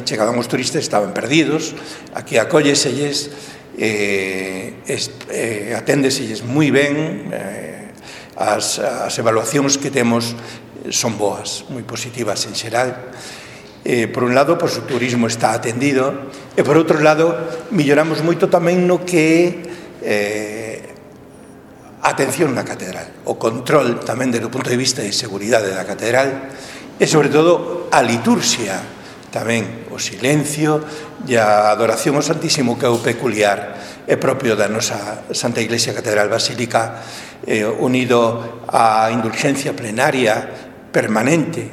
chegaban os turistas estaban perdidos. Aquí acólleselles, aténdeselles moi ben, as evaluacións que temos son boas, moi positivas en xeral. Por un lado, pois, o turismo está atendido, e por outro lado, melloramos moito tamén no que a atención na catedral, o control tamén desde o punto de vista de seguridade da catedral, e sobre todo a liturxia, tamén o silencio e a adoración ao Santísimo, que é o peculiar e propio da nosa Santa Iglesia Catedral Basílica, unido á indulgencia plenaria permanente